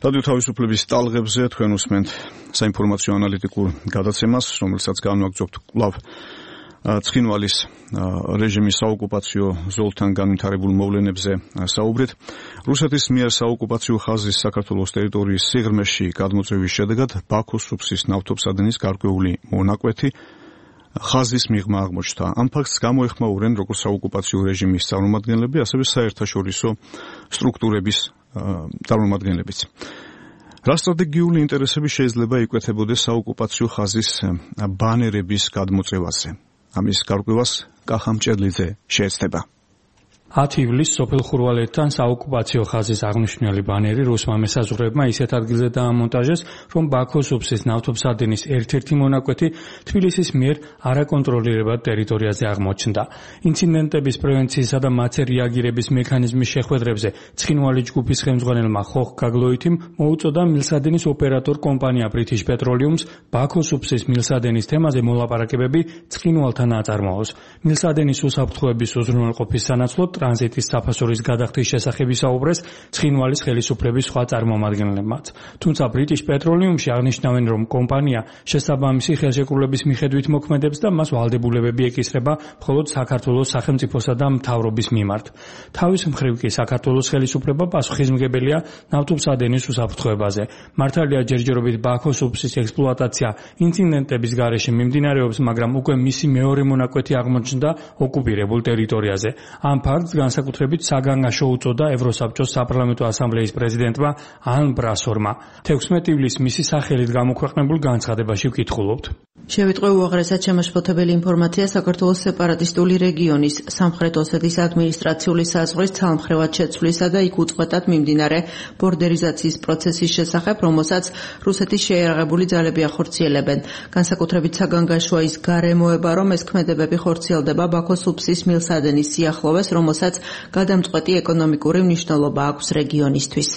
რადიო თავისუფლების ტალღებზე თქვენ უსმენთ საინფორმაციო ანალიტიკურ გადაცემას, რომელსაც განვაგრძობთ კვლავ ცხინვალის რეჟიმის საოკუპაციო ზოლთან განვითარებულ მოვლენებზე საუბრით. რუსეთის მიერ საოკუპაციო ხაზის საქართველოს ტერიტორიის სიღრმეში გადმოწევის შედეგად ბაქოს სუფსის ნავთობსადენის გარკვეული მონაკვეთი ხაზის მიღმა აღმოჩნდა. ამ ფაქტს გამოეხმაურენ როგორც საოკუპაციო რეჟიმის წარმომადგენლები, ასევე საერთაშორისო სტრუქტურების წარმომადგენლებიც. რა სტრატეგიული ინტერესები შეიძლება იკვეთებოდეს საოკუპაციო ხაზის ბანერების გადმოწევაზე? ამის გარკვევას კახა მჭედლიძე შეეცდება. 10 ივლისს სოფელ ხურვალეთთან საოკუპაციო ხაზის აღნიშნული ბანერი რუსმა მესაზღვრეებმა ისეთ ადგილზე დაამონტაჟეს, რომ ბაქოს სუფსის ნავთობსადენის ერთ-ერთი მონაკვეთი თბილისის მიერ არაკონტროლირებად ტერიტორიაზე აღმოჩნდა. ინციდენტების პრევენციისა და მათზე რეაგირების მექანიზმის შეხვედრებზე ცხინვალი ჯგუფის ხელმძღვანელმა ხოხ გაგლოითიმ მოუწოდა მილსადენის ოპერატორ კომპანია British Petroleum's ბაქოს სუფსის მილსადენის თემაზე მოლაპარაკებები ცხინვალთან აწარმოოს. მილსადენის უსაფრთხოების უზრუნველყოფის სანაცვლოდ ტრანზიტის საფასურის გადახდის შესახებ ისაუბრეს ცხინვალის ხელისუფლების სხვა წარმომადგენლებმაც. თუმცა British Petroleum-ში აღნიშნავენ, რომ კომპანია შესაბამისი ხელშეკრულების მიხედვით მოქმედებს და მას ვალდებულებები ეკისრება მხოლოდ საქართველოს სახელმწიფოსა და მთავრობის მიმართ. თავის მხრივ კი საქართველოს ხელისუფლება პასუხისმგებელია ნავთობსადენის უსაფრთხოებაზე. მართალია ჯერჯერობით ბაქოს სუფსის ექსპლუატაცია ინციდენტების გარეშე მიმდინარეობს, მაგრამ უკვე მისი მეორე მონაკვეთი აღმოჩნდა ოკუპირებულ ტერიტორიაზე. ამ ფაქტს განსაკუთრებით საგანგაშო უწოდა ევროსაბჭოს საპარლამენტო ასამბლეის პრეზიდენტმა ან ბრასორმა. 16 ივლისს მისი სახელით გამოქვეყნებულ განცხადებაში ვკითხულობთ. შევიტყვე უაღრესად შემაშფოთებელი ინფორმაცია საქართველოს სეპარატისტული რეგიონის სამხრეთ ოსეთის ადმინისტრაციული საზღვრის ცალმხრივად შეცვლისა და იქ უწყვეტად მიმდინარე ბორდერიზაციის პროცესის შესახებ, რომელსაც რუსეთის შეიარაღებული ძალები ახორციელებენ. განსაკუთრებით საგანგაშოა ის გარემოება, რომ ეს ქმედებები ხორციელდება ბაქოს სუფსის მილსადენის სიახლოვეს, რომელსაც გადამწყვეტი ეკონომიკური მნიშვნელობა აქვს რეგიონისთვის.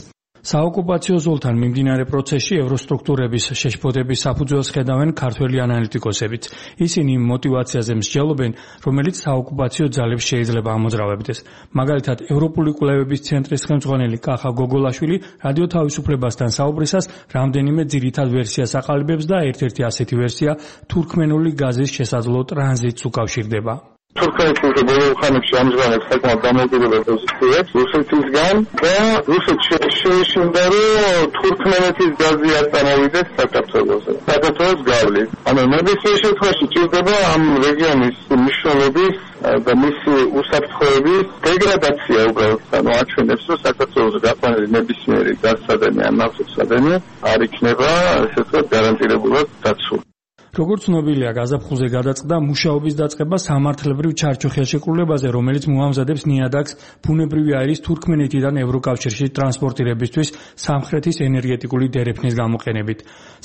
საოკუპაციო ზოლთან მიმდინარე პროცესში ევროსტრუქტურების შეშფოთების საფუძველს ხედავენ ქართველი ანალიტიკოსებიც. ისინი იმ მოტივაციაზე მსჯელობენ, რომელიც საოკუპაციო ძალებს შეიძლება ამოძრავებდეს. მაგალითად, ევროპული კვლევების ცენტრის ხელმძღვანელი კახა გოგოლაშვილი რადიო თავისუფლებასთან საუბრისას რამდენიმე ძირითად ვერსიას აყალიბებს და ერთ-ერთი ასეთი ვერსია თურქმენული გაზის შესაძლო ტრანზიტს უკავშირდება. თურქეთის ბოლო ხანებში ამჟღავნებს საკმაოდ დამოუკიდებელ პოზიციებს რუსეთისგან და რუსეთში შეეშინდა, რომ თურქმენეთის გაზი არ წამოვიდეს საქართველოს გავლით. ანუ ნებისმიერ შემთხვევაში ჭირდება ამ რეგიონის მნიშვნელობის და მისი უსაფრთხოების დეგრადაცია უბრალოდ. ანუ აჩვენებს, რომ საქართველოს გაყვანილი ნებისმიერი გაზსადენი ან ნავთობსადენი არ იქნება ესე ვთქვათ გარანტირებულად დაცული. როგორც ცნობილია, გაზაფხულზე გადაწყდა მუშაობის დაწყება სამართლებრივ ჩარჩო ხელშეკრულებაზე, რომელიც მოამზადებს ნიადაგს ბუნებრივი აირის თურქმენეთიდან ევროკავშირში ტრანსპორტირებისთვის სამხრეთის ენერგეტიკული დერეფნის გამოყენებით.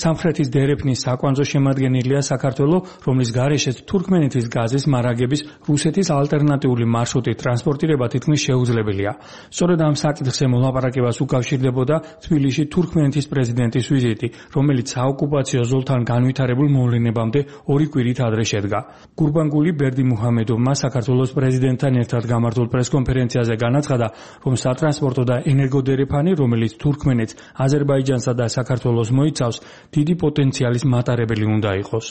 სამხრეთის დერეფნის საკვანძო შემადგენელია საქართველო, რომლის გარეშეც თურქმენეთის გაზის მარაგების რუსეთის ალტერნატიული მარშრუტით ტრანსპორტირება თითქმის შეუძლებელია. სწორედ ამ საკითხზე მოლაპარაკებას უკავშირდებოდა თბილისში თურქმენეთის პრეზიდენტის ვიზიტი, რომელიც საოკუპაციო ზოლთან განვითარებულ ნებამდე 2 კვირით ადრე შედგა. გურბანგული ბერდიმუჰამედოვმა საქართველოს პრეზიდენტთან ერთად გამართულ პრესკონფერენციაზე განაცხადა, რომ სატრანსპორტო და ენერგოდერეფანი, რომელიც თურქმენეთს, აზერბაიჯანსა და საქართველოს მოიცავს, დიდი პოტენციალის მატარებელი უნდა იყოს.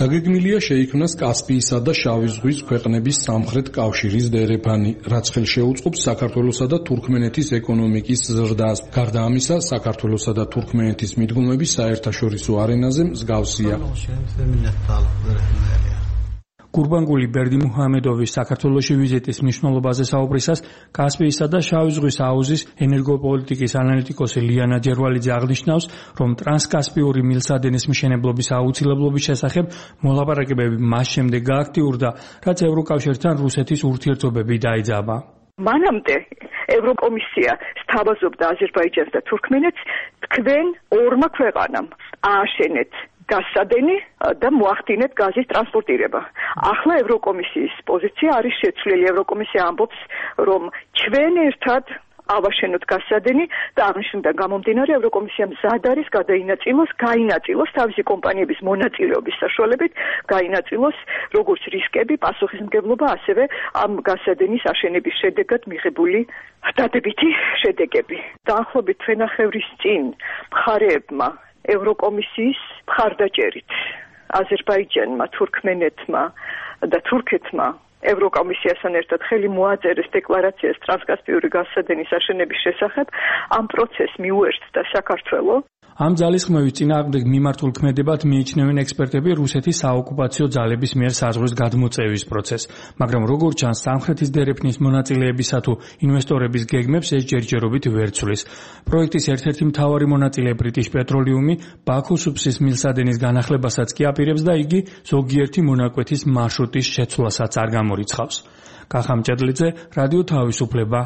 დაგეგმილია შეიქმნას კასპიისა და შავი ზღვის ქვეყნების სამხრეთ კავშირის დერეფანი, რაც ხელს შეუწყობს საქართველოსა და თურქმენეთის ეკონომიკის ზრდას. გარდა ამისა, საქართველოსა და თურქმენეთის მიდგომები საერთაშორისო არენაზე მსგავსია. გურბანგული ბერდიმუჰამედოვის საქართველოში ვიზიტის მნიშვნელობაზე საუბრისას კასპიისა და შავი ზღვის აუზის ენერგოპოლიტიკის ანალიტიკოსი ლიანა ჯერვალიძე აღნიშნავს, რომ ტრანსკასპიური მილსადენის მშენებლობის აუცილებლობის შესახებ მოლაპარაკებები მას შემდეგ გააქტიურდა, რაც ევროკავშირთან რუსეთის ურთიერთობები დაიძაბა. მანამდე ევროკომისია სთავაზობდა აზერბაიჯანს და თურქმენეთს, თქვენ ორმა ქვეყანამ ააშენეთ გაზსადენი და მოახდინეთ გაზის ტრანსპორტირება. ახლა ევროკომისიის პოზიცია არის შეცვლილი. ევროკომისია ამბობს, რომ ჩვენ ერთად ავაშენოთ გასადენი და აღნიშნულიდან გამომდინარე ევროკომისია მზად არის გაინაწილოს თავისი კომპანიების მონაწილეობის საშუალებით გაინაწილოს როგორც რისკები, პასუხისმგებლობა, ასევე ამ გასადენის აშენების შედეგად მიღებული დადებითი შედეგები. დაახლოებით თვენახევრის წინ მხარეებმა ევროკომისიის მხარდაჭერით აზერბაიჯანმა, თურქმენეთმა და თურქეთმა ევროკომისიასთან ერთად ხელი მოაწერეს დეკლარაციას ტრანსკასპიური გასადენის აშენების შესახებ. ამ პროცესს მიუერთდა საქართველოს. ამ ძალისხმევის წინააღმდეგ მიმართულ ქმედებად მიიჩნევენ ექსპერტები რუსეთის საოკუპაციო ძალების მიერ საზღვრის გადმოწევის პროცესს, მაგრამ როგორც ჩანს, სამხრეთის დერეფნის მონაწილეებისა თუ ინვესტორების გეგმებს ეს ჯერჯერობით ვერ ცვლის. პროექტის ერთ-ერთი მთავარი მონაწილე ბრიტიშ პეტროლიუმი ბაქოს სუფსის მილსადენის განახლებასაც კი აპირებს და იგი ზოგიერთი მონაკვეთის მარშრუტის შეცვლასაც არ გამორიცხავს. კახა მჭედლიძე, რადიო თავისუფლება.